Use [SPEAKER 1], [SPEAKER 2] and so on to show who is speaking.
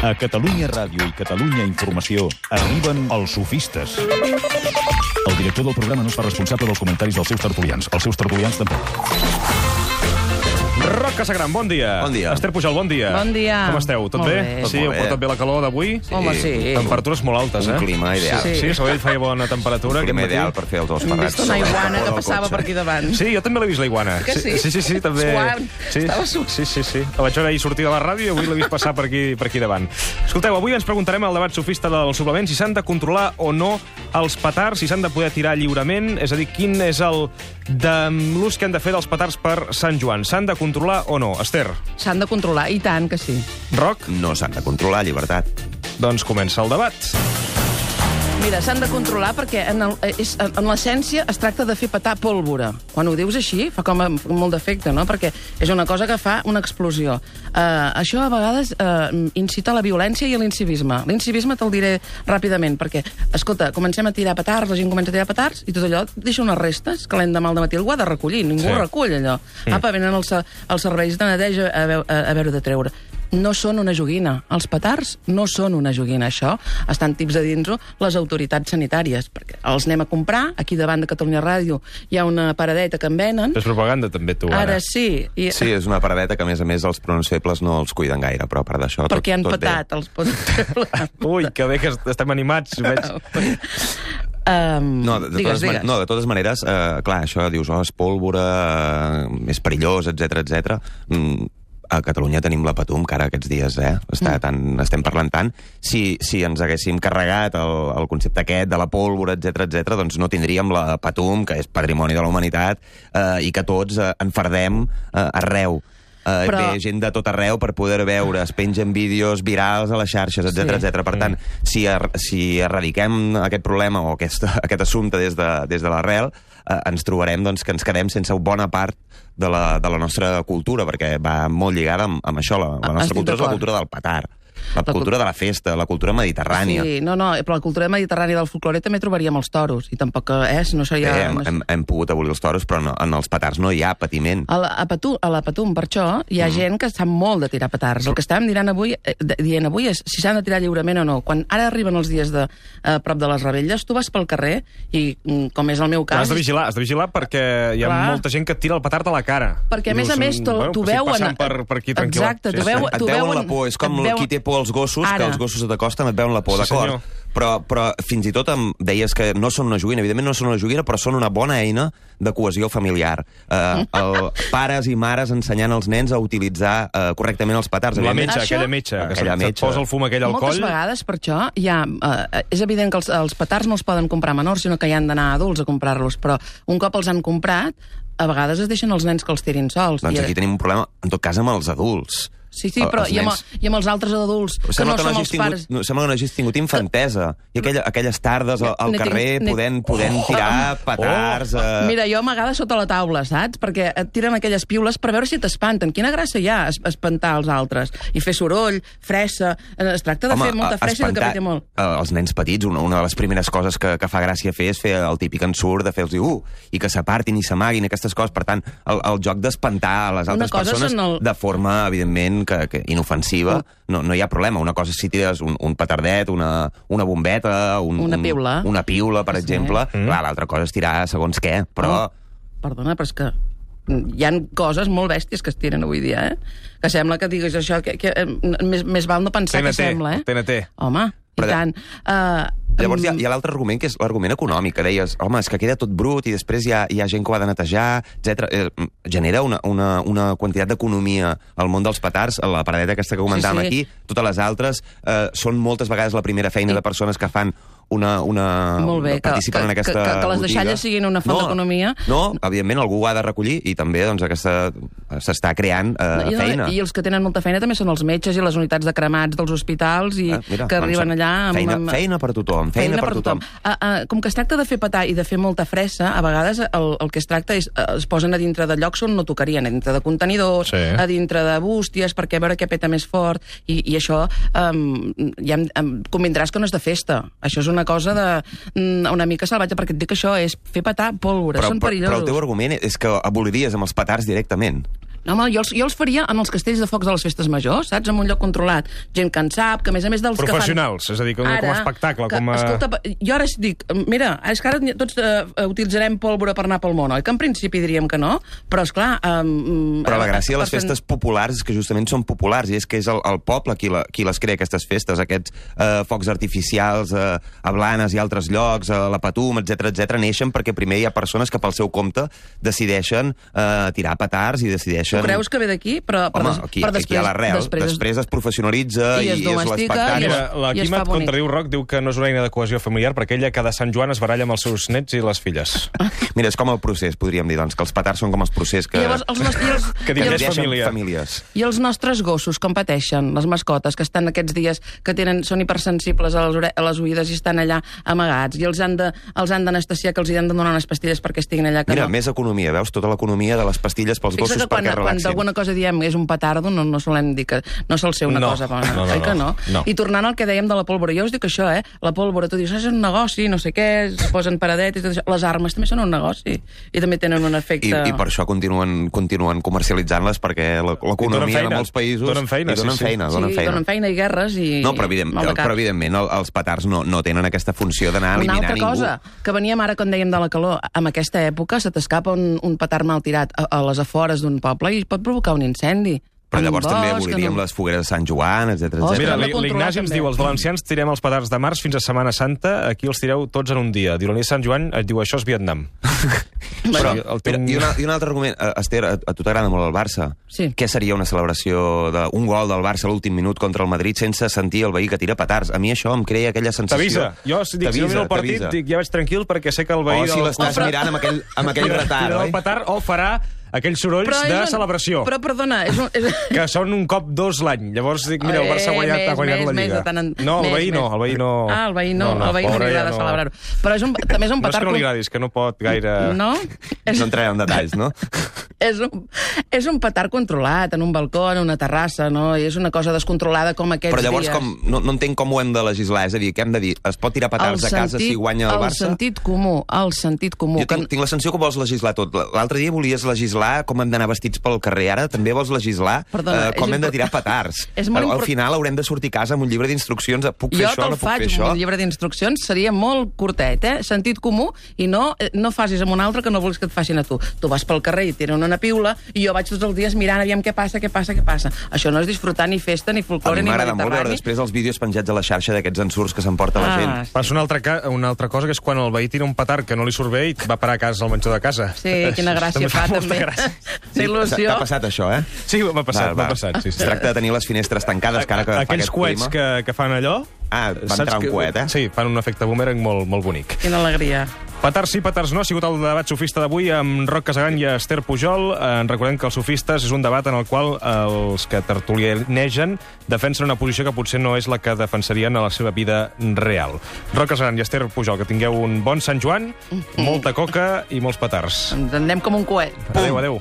[SPEAKER 1] A Catalunya Ràdio i Catalunya Informació arriben els sofistes. El director del programa no es fa responsable dels comentaris dels seus tertulians. Els seus tertulians tampoc.
[SPEAKER 2] Roc Casagran, bon dia.
[SPEAKER 3] Bon dia.
[SPEAKER 2] Esther Pujol, bon dia.
[SPEAKER 4] Bon dia.
[SPEAKER 2] Com esteu? Tot
[SPEAKER 4] Molt
[SPEAKER 2] bé?
[SPEAKER 4] bé.
[SPEAKER 2] Sí, heu portat bé la calor d'avui?
[SPEAKER 4] Home, sí.
[SPEAKER 2] Temperatures molt altes,
[SPEAKER 3] Un clima ideal.
[SPEAKER 2] Sí, Sabadell feia bona temperatura.
[SPEAKER 3] Un clima
[SPEAKER 2] aquest matí.
[SPEAKER 3] ideal per fer els dos
[SPEAKER 4] Hem
[SPEAKER 3] parats.
[SPEAKER 4] vist una iguana que passava per aquí davant.
[SPEAKER 2] Sí, jo també l'he vist, la iguana.
[SPEAKER 4] Que sí?
[SPEAKER 2] Sí, també.
[SPEAKER 4] Suant.
[SPEAKER 2] Sí,
[SPEAKER 4] Estava suant.
[SPEAKER 2] sí. La vaig veure ahir sortir de la ràdio i avui l'he vist passar per aquí davant. Escolteu, avui ens preguntarem al debat sofista del suplement si s'han de controlar o no els petards, si s'han de poder tirar lliurement, és a dir, quin és l'ús que han de fer dels petards per Sant Joan. S'han de controlar o no? Esther?
[SPEAKER 4] S'han de controlar, i tant que sí.
[SPEAKER 2] Roc?
[SPEAKER 3] No s'han de controlar, llibertat.
[SPEAKER 2] Doncs comença el debat.
[SPEAKER 4] Mira, s'han de controlar perquè en l'essència es tracta de fer petar pólvora. Quan ho dius així, fa com molt d'efecte, no? Perquè és una cosa que fa una explosió. Això a vegades incita a la violència i a l'incivisme. L'incivisme te'l diré ràpidament, perquè, escolta, comencem a tirar petards, la gent comença a tirar petards, i tot allò deixa unes restes que l'endemà al matí algú ha de recollir. Ningú recull allò. Apa, venen els serveis de neteja a veure de treure. No són una joguina. Els petards no són una joguina. Això estan tips a dins-ho les autoritats sanitàries, perquè els anem a comprar. Aquí davant de Catalunya Ràdio hi ha una paradeta que en venen.
[SPEAKER 2] És propaganda, també, tu,
[SPEAKER 4] Ara sí.
[SPEAKER 3] Sí, és una paradeta que, a més, els pronoms febles no els cuiden gaire, però a part d'això, tot bé.
[SPEAKER 4] Perquè han petat els pronoms.
[SPEAKER 2] Ui, que bé que estem animats, veig.
[SPEAKER 3] No, de totes maneres, clar, això dius, és pólvora, és perillós, etc. A Catalunya tenim la Patum, que ara aquests dies estem parlant tant. Si ens haguéssim carregat el concepte aquest de la pólvora, etc., doncs no tindríem la Patum, que és patrimoni de la humanitat, i que tots enfardem arreu. Ve gent de tot arreu per poder veure, es pengen vídeos virals a les xarxes, etc. Per tant, si erradiquem aquest problema o aquest assumpte des de l'arrel, ens trobarem que ens quedem sense bona part de la nostra cultura, perquè va molt lligada amb això. La nostra cultura és la cultura del petard, la cultura de la festa, la cultura mediterrània.
[SPEAKER 4] Sí, no, però la cultura mediterrània del folclore també trobaríem els toros, i tampoc no seria...
[SPEAKER 3] Hem pogut abolir els toros, però en els petards no hi ha patiment.
[SPEAKER 4] A la Patum, per això, hi ha gent que sap molt de tirar petards. El que estàvem dient avui és si s'han de tirar lliurement o no. Quan ara arriben els dies prop de les revetlles, tu vas pel carrer i, com és el meu cas...
[SPEAKER 2] Has de vigilar perquè hi ha molta gent que et tira el petard a la cara.
[SPEAKER 4] Perquè, a més, t'ho veuen...
[SPEAKER 2] Passant per aquí tranquil·la.
[SPEAKER 4] Exacte, t'ho
[SPEAKER 3] Et veuen la por, és com qui té por als gossos, que els gossos t'acosten, et veuen la por, d'acord? Però fins i tot em deies que no són una joguina. Evidentment no són una joguina, però són una bona eina de cohesió familiar. Pares i mares ensenyant als nens a utilitzar correctament els petards.
[SPEAKER 2] La metxa, aquella metxa, que se't posa el fum aquell al coll.
[SPEAKER 4] Moltes vegades, per això, és evident que els petards no els poden comprar menors, sinó que hi han d'anar adults a comprar-los, però un cop els han comprat, a vegades es deixen els nens que els tirin sols.
[SPEAKER 3] Doncs aquí tenim un problema, en tot cas, amb els adults.
[SPEAKER 4] Sí, però i amb els altres adults, que no som els pares...
[SPEAKER 3] Sembla que no hagis tingut infantesa. I aquelles tardes al carrer podent tirar petards...
[SPEAKER 4] Mira, jo amagada sota la taula, saps? Perquè et tiren aquelles piules per veure si t'espanten. Quina gràcia hi ha espantar els altres? I fer soroll, fressa... Es tracta de fer molta fressa i de que peti molt.
[SPEAKER 3] Els nens petits, una de les primeres coses que fa gràcia fer és fer el típic ensurt de fer-los i que s'apartin i s'amaguin, aquestes coses. Per tant, el joc d'espantar a les altres persones de forma, evidentment, que inofensiva, no hi ha problema. Una cosa és si tires un petardet, una bombeta, una piula, per exemple. Clar, l'altra cosa és tirar segons què, però...
[SPEAKER 4] Perdona, però és que hi ha coses molt bèsties que es tiren avui dia, que sembla que diguis això, que més val no pensar que sembla,
[SPEAKER 2] TNT.
[SPEAKER 4] Home, i tant.
[SPEAKER 3] Llavors hi ha l'altre argument, que és l'argument econòmic, que deies, home, és que queda tot brut i després hi ha gent que ho ha de netejar, etc. Genera una quantitat d'economia al món dels petards, la paradeta aquesta que comentàvem aquí, totes les altres, són moltes vegades la primera feina de persones que fan participen en aquesta botiga.
[SPEAKER 4] Que les deixalles siguin una font d'economia.
[SPEAKER 3] No, evidentment algú ho ha de recollir i també s'està creant feina.
[SPEAKER 4] I els que tenen molta feina també són els metges i les unitats de cremats dels hospitals i que arriben allà...
[SPEAKER 3] Feina per tothom.
[SPEAKER 4] Com que es tracta de fer petar i de fer molta fressa, a vegades el que es tracta és es posen a dintre de llocs on no tocarien, a dintre de contenidors, a dintre de bústies, perquè a veure què peta més fort, i això ja convindràs que no és de festa. Això és una cosa una mica salvatge, perquè et dic que això és fer petar pólvora, són perillosos.
[SPEAKER 3] Però el teu argument és que aboliries amb els petards directament.
[SPEAKER 4] Home, jo els faria en els castells de focs de les festes majors, saps? En un lloc controlat. Gent que en sap, que a més dels
[SPEAKER 2] professionals,
[SPEAKER 4] que fan...
[SPEAKER 2] és a dir, com a espectacle.
[SPEAKER 4] Escolta, jo ara dic, mira, és que ara tots utilitzarem pólvora per anar pel món, oi? Que en principi diríem que no, però esclar...
[SPEAKER 3] Però la gràcia de les festes populars és que justament són populars, i és que és el poble qui les crea, aquestes festes, aquests focs artificials a Blanes i altres llocs, a la Patum, etc neixen perquè primer hi ha persones que pel seu compte decideixen tirar petards i decideixen...
[SPEAKER 4] Tu creus que ve d'aquí?
[SPEAKER 3] Home, aquí hi ha l'arrel. Després es professionalitza i és l'espectacle.
[SPEAKER 2] Mira, la Quima et contradiu, Roc, diu que no és una eina de cohesió familiar perquè ella cada Sant Joan es baralla amb els seus nets i les filles.
[SPEAKER 3] Mira, és com el procés, podríem dir, doncs, que els petards són com els procés que...
[SPEAKER 2] que divideixen famílies.
[SPEAKER 4] I els nostres gossos, com pateixen, les mascotes, que estan aquests dies, que són hipersensibles a les oïdes i estan allà amagats, i els han d'anestesiar, que els han de donar unes pastilles perquè estiguin allà.
[SPEAKER 3] Mira, més economia, veus? Tota l'economia de les pastilles pels gossos perquè relaxin.
[SPEAKER 4] Quan d'alguna cosa diem és un petardo, no solem dir que no sol ser una cosa bona. Oi que no? I tornant al que dèiem de la pólvora, jo us dic això, la pólvora, tu dius, és un negoci, no sé què, es posen paradetes, les armes també són un negoci, i també tenen un efecte...
[SPEAKER 3] I per això continuen comercialitzant-les, perquè l'economia de molts països...
[SPEAKER 2] Donen feina,
[SPEAKER 4] donen feina i guerres i...
[SPEAKER 3] No, però evidentment els petards no tenen aquesta funció d'anar a eliminar ningú.
[SPEAKER 4] Una altra cosa, que veníem ara quan dèiem de la calor, en aquesta època se t'escapa un petard mal tirat a les afores d'un poble i pot provocar un incendi.
[SPEAKER 3] Però llavors també aboliríem les fogueres de Sant Joan, etc.
[SPEAKER 2] Mira, l'Ignasi ens diu, els valencians tirem els petards de març fins a Setmana Santa, aquí els tireu tots en un dia. Diu, la nit de Sant Joan et diu, això és Vietnam.
[SPEAKER 3] Però, i un altre argument, Esther, a tu t'agrada molt el Barça.
[SPEAKER 4] Sí.
[SPEAKER 3] Què seria una celebració d'un gol del Barça a l'últim minut contra el Madrid sense sentir el veí que tira petards? A mi això em crea aquella sensació...
[SPEAKER 2] T'avisa. Jo, si no miro el partit, dic, ja vaig tranquil perquè sé que el veí...
[SPEAKER 3] O si l'estàs mirant amb aquell retard, oi?
[SPEAKER 2] El petard o farà aquells sorolls de celebració.
[SPEAKER 4] Però, perdona...
[SPEAKER 2] Que són un cop 2 l'any. Llavors dic, mira, el Barça ha guanyat la Lliga. No, el veí no. Ah,
[SPEAKER 4] el veí no li agrada celebrar-ho. Però també és un petard...
[SPEAKER 2] No és que no li agradi, és que no pot gaire...
[SPEAKER 4] No?
[SPEAKER 3] No entrarem en detalls, no?
[SPEAKER 4] És un petard controlat, en un balcó, en una terrassa, no? I és una cosa descontrolada com aquests dies.
[SPEAKER 3] Però llavors no entenc com ho hem de legislar. És a dir, què hem de dir? Es pot tirar petards a casa si guanya el Barça?
[SPEAKER 4] El sentit comú.
[SPEAKER 3] Jo tinc la sensació que vols legislar tot. L'altre dia volies legislar com hem d'anar vestits pel carrer. Ara també vols legislar com hem de tirar petards. Al final haurem de sortir a casa amb un llibre d'instruccions. Puc fer això, no puc fer això?
[SPEAKER 4] Jo te'l faig, un llibre d'instruccions seria molt curtet, sentit comú, i no facis amb un altre que no vols que et facin a tu. Tu vas pel carrer i tiren una piula, i jo vaig tots els dies mirant aviam què passa. Això no és disfrutar ni festa, ni folklore, ni mediterrani.
[SPEAKER 3] A mi m'agrada molt veure després els vídeos penjats a la xarxa d'aquests ensurts que s'emporta la gent.
[SPEAKER 2] Passa una altra cosa, que és quan el veí tira un petard que no li surt bé i va parar a casa al menjador de casa.
[SPEAKER 4] Sí, quina gràcia fa, també.
[SPEAKER 3] T'ha passat això,
[SPEAKER 2] Sí, m'ha passat.
[SPEAKER 3] Es tracta de tenir les finestres tancades, que ara que fa
[SPEAKER 2] aquells coets que fan allò...
[SPEAKER 3] Va entrar un coet,
[SPEAKER 2] Sí, fan un efecte boomerang molt bonic.
[SPEAKER 4] Quina alegria.
[SPEAKER 2] Petards sí, petards no, ha sigut el debat sofista d'avui amb Roc Casagran i Esther Pujol. Recordem que els sofistes és un debat en el qual els que tertulianegen defensen una posició que potser no és la que defensarien a la seva vida real. Roc Casagran i Esther Pujol, que tingueu un bon Sant Joan, molta coca i molts petards.
[SPEAKER 4] Ens en anem com un coet.
[SPEAKER 2] Adéu.